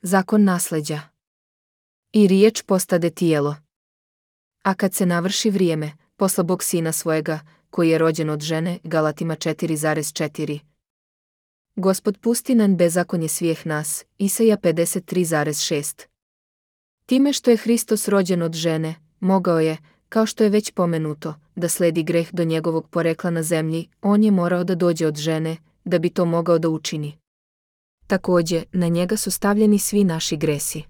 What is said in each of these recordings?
Zakon nasleđa. I riječ postade tijelo. A kad se navrši vrijeme, posla Bog sina svojega, koji je rođen od žene, Galatima 4,4. Gospod pusti na bezakonje svih nas, Isaija 53,6. Time što je Hristos rođen od žene, mogao je, kao što je već pomenuto, da sledi greh do njegovog porekla na zemlji, on je morao da dođe od žene, da bi to mogao da učini. Također, na njega su stavljeni svi naši gresi.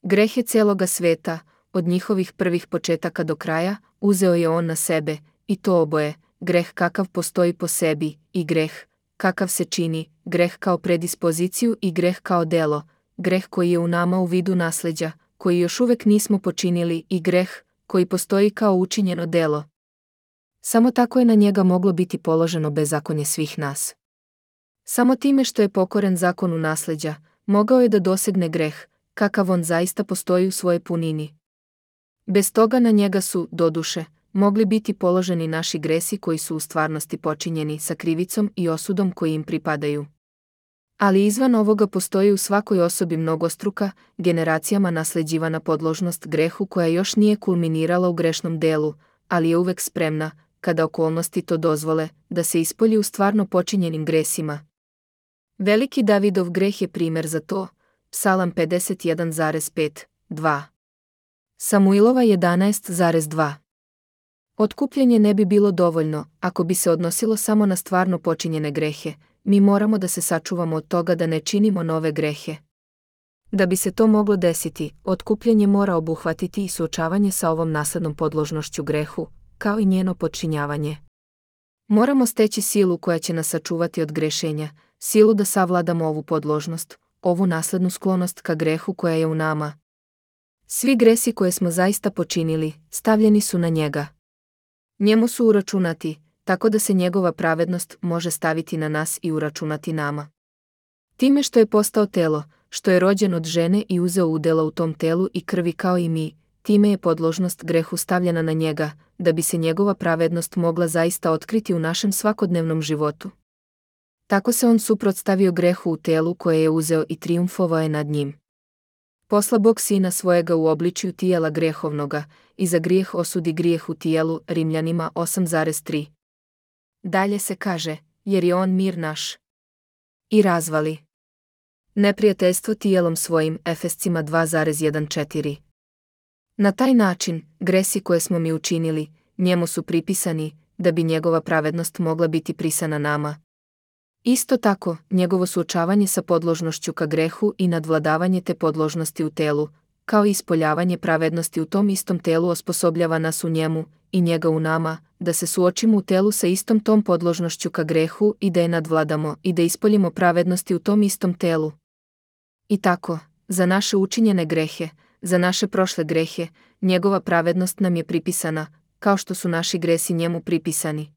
Greh je celoga sveta, od njihovih prvih početaka do kraja, uzeo je on na sebe, i to oboje, greh kakav postoji po sebi, i greh, kakav se čini, greh kao predispoziciju i greh kao delo, greh koji je u nama u vidu nasleđa, koji još uvek nismo počinili, i greh, koji postoji kao učinjeno delo. Samo tako je na njega moglo biti položeno bezakonje svih nas. Samo time što je pokoren zakonu nasleđa, mogao je da dosegne greh, kakav on zaista postoji u svojoj punini. Bez toga na njega su, doduše, mogli biti položeni naši gresi koji su u stvarnosti počinjeni sa krivicom i osudom koji im pripadaju. Ali izvan ovoga postoji u svakoj osobi mnogostruka, generacijama nasleđivana podložnost grehu koja još nije kulminirala u grešnom delu, ali je uvek spremna, kada okolnosti to dozvole, da se ispolji u stvarno počinjenim gresima. Veliki Davidov greh je primer za to, Psalam 51,5, 2. Samuilova 11,2. Otkupljenje ne bi bilo dovoljno, ako bi se odnosilo samo na stvarno počinjene grehe, mi moramo da se sačuvamo od toga da ne činimo nove grehe. Da bi se to moglo desiti, otkupljenje mora obuhvatiti i suočavanje sa ovom naslednom podložnošću grehu, kao i njeno podčinjavanje. Moramo steći silu koja će nas sačuvati od grešenja, silu da savladamo ovu podložnost, ovu naslednu sklonost ka grehu koja je u nama. Svi gresi koje smo zaista počinili, stavljeni su na njega. Njemu su uračunati, tako da se njegova pravednost može staviti na nas i uračunati nama. Time što je postao telo, što je rođen od žene i uzeo udjela u tom telu i krvi kao i mi, time je podložnost grehu stavljena na njega, da bi se njegova pravednost mogla zaista otkriti u našem svakodnevnom životu. Tako se on suprotstavio grehu u telu koje je uzeo i trijumfovao je nad njim. Posla Bog sina svojega u obličju tijela grehovnoga, i za grijeh osudi grijeh u tijelu, Rimljanima 8,3. Dalje se kaže, jer je on mir naš. I razvali neprijateljstvo tijelom svojim, Efescima 2,1,4. Na taj način, gresi koje smo mi učinili, njemu su pripisani, da bi njegova pravednost mogla biti prisana nama. Isto tako, njegovo suočavanje sa podložnošću ka grehu i nadvladavanje te podložnosti u telu, kao i ispoljavanje pravednosti u tom istom telu osposobljava nas u njemu i njega u nama, da se suočimo u telu sa istom tom podložnošću ka grehu i da je nadvladamo i da ispoljimo pravednosti u tom istom telu. I tako, za naše učinjene grehe, za naše prošle grehe, njegova pravednost nam je pripisana, kao što su naši gresi njemu pripisani.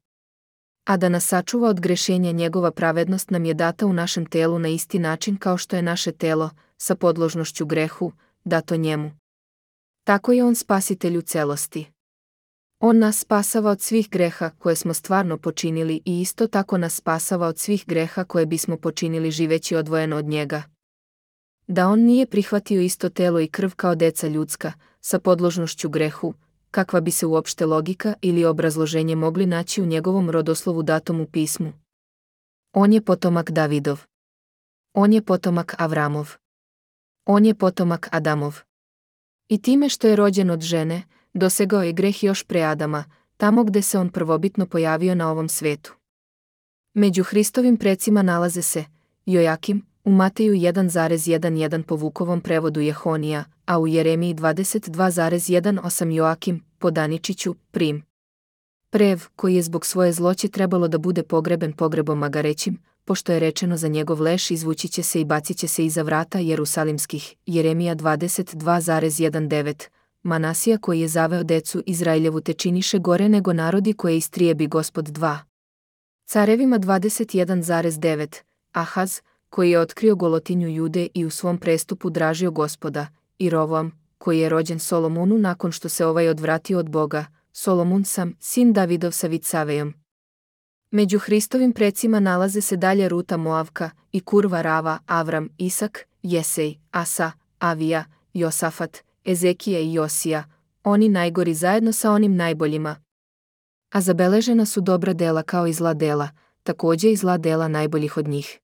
A da nas sačuva od grešenja njegova pravednost nam je data u našem telu na isti način kao što je naše telo, sa podložnošću grehu, dato njemu. Tako je on spasitelj u celosti. On nas spasava od svih greha koje smo stvarno počinili i isto tako nas spasava od svih greha koje bismo počinili živeći odvojeno od njega. Da on nije prihvatio isto telo i krv kao deca ljudska, sa podložnošću grehu, kakva bi se uopšte logika ili obrazloženje mogli naći u njegovom rodoslovu datom u pismu. On je potomak Davidov. On je potomak Avramov. On je potomak Adamov. I time što je rođen od žene, dosegao je greh još pre Adama, tamo gde se on prvobitno pojavio na ovom svetu. Među Hristovim precima nalaze se Jojakim, u Mateju 1,11 po Vukovom prevodu Jehonija, a u Jeremiji 22,18 Joakim, po Daničiću, Prim. Prev, koji je zbog svoje zloće trebalo da bude pogreben pogrebom magarećim, pošto je rečeno za njegov leš izvući će se i bacit će se iza vrata Jerusalimskih, Jeremija 22,19, Manasija koji je zaveo decu Izraeljevu te činiše gore nego narodi koje istrijebi Gospod 2. Carevima 21,9, Ahaz, koji je otkrio golotinju Jude i u svom prestupu dražio Gospoda, i Rovoam, koji je rođen Solomonu nakon što se ovaj odvratio od Boga, Solomun sam, sin Davidov sa Vicavejom. Među Hristovim precima nalaze se dalje Ruta Moavka, i Kurva Rava, Avram, Isak, Jesej, Asa, Avija, Josafat, Ezekija i Josija, oni najgori zajedno sa onim najboljima. A zabeležena su dobra dela kao i zla dela, također i zla dela najboljih od njih.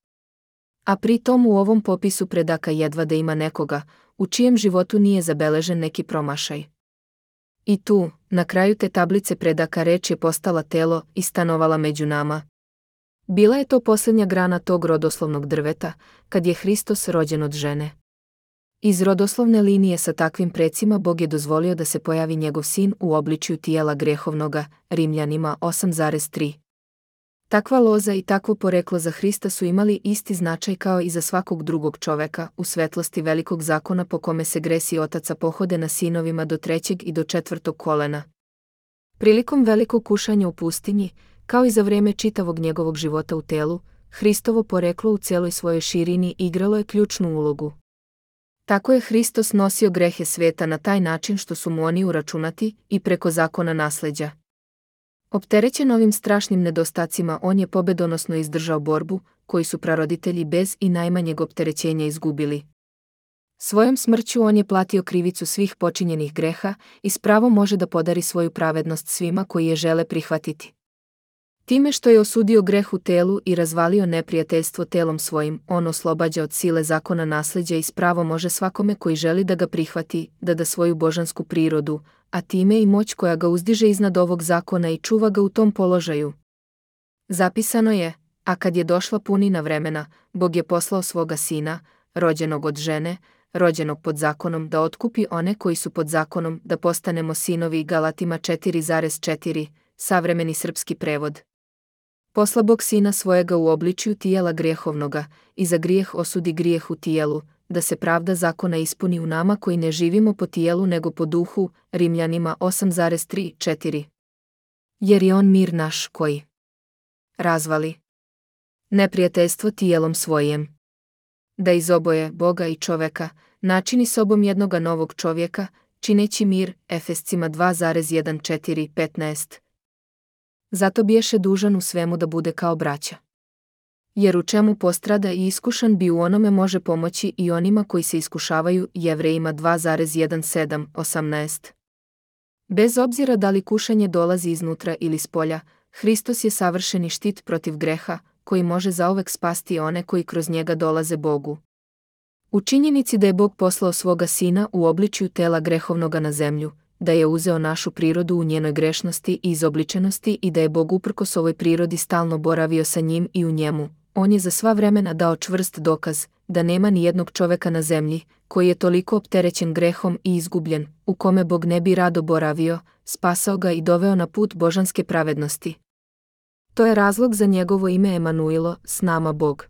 A pri tom u ovom popisu predaka jedva da ima nekoga, u čijem životu nije zabeležen neki promašaj. I tu, na kraju te tablice predaka reč je postala telo i stanovala među nama. Bila je to posljednja grana tog rodoslovnog drveta, kad je Hristos rođen od žene. Iz rodoslovne linije sa takvim precima Bog je dozvolio da se pojavi njegov sin u obličju tijela grehovnoga, Rimljanima 8,3. Takva loza i takvo poreklo za Hrista su imali isti značaj kao i za svakog drugog čoveka u svetlosti velikog zakona po kome se gresi otaca pohode na sinovima do 3. i do 4. kolena. Prilikom velikog kušanja u pustinji, kao i za vrijeme čitavog njegovog života u telu, Hristovo poreklo u cijeloj svojoj širini igralo je ključnu ulogu. Tako je Hristos nosio grehe svijeta na taj način što su mu oni uračunati i preko zakona nasleđa. Opterećen ovim strašnim nedostacima, on je pobedonosno izdržao borbu, koju su praroditelji bez i najmanjeg opterećenja izgubili. Svojom smrću on je platio krivicu svih počinjenih greha i s pravom može da podari svoju pravednost svima koji je žele prihvatiti. Time što je osudio greh u telu i razvalio neprijateljstvo telom svojim, on oslobađa od sile zakona nasleđa i s pravom može svakome koji želi da ga prihvati, da da svoju božansku prirodu, a time i moć koja ga uzdiže iznad ovog zakona i čuva ga u tom položaju. Zapisano je, a kad je došla punina vremena, Bog je poslao svoga sina, rođenog od žene, rođenog pod zakonom, da otkupi one koji su pod zakonom, da postanemo sinovi. Galatima 4,4, savremeni srpski prevod. Posla Bog sina svojega u obličju tijela grijehovnoga, i za grijeh osudi grijeh u tijelu, da se pravda zakona ispuni u nama koji ne živimo po tijelu nego po duhu. Rimljanima 8,3-4. Jer je on mir naš koji razvali neprijateljstvo tijelom svojim. Da iz oboje, Boga i čoveka, načini sobom jednoga novog čovjeka, čineći mir. Efescima 2,1-4-15. Zato biješe dužan u svemu da bude kao braća. Jer u čemu postrada i iskušan bi u onome može pomoći i onima koji se iskušavaju. Jevrejima 2,17-18. Bez obzira da li kušanje dolazi iznutra ili spolja, Hristos je savršeni štit protiv greha, koji može zauvek spasti one koji kroz njega dolaze Bogu. U činjenici da je Bog poslao svoga sina u obličju tela grehovnoga na zemlju, da je uzeo našu prirodu u njenoj grešnosti i izobličenosti i da je Bog uprkos ovoj prirodi stalno boravio sa njim i u njemu, on je za sva vremena dao čvrst dokaz da nema ni jednog čoveka na zemlji koji je toliko opterećen grehom i izgubljen, u kome Bog ne bi rado boravio, spasao ga i doveo na put božanske pravednosti. To je razlog za njegovo ime Emanuilo, s nama Bog.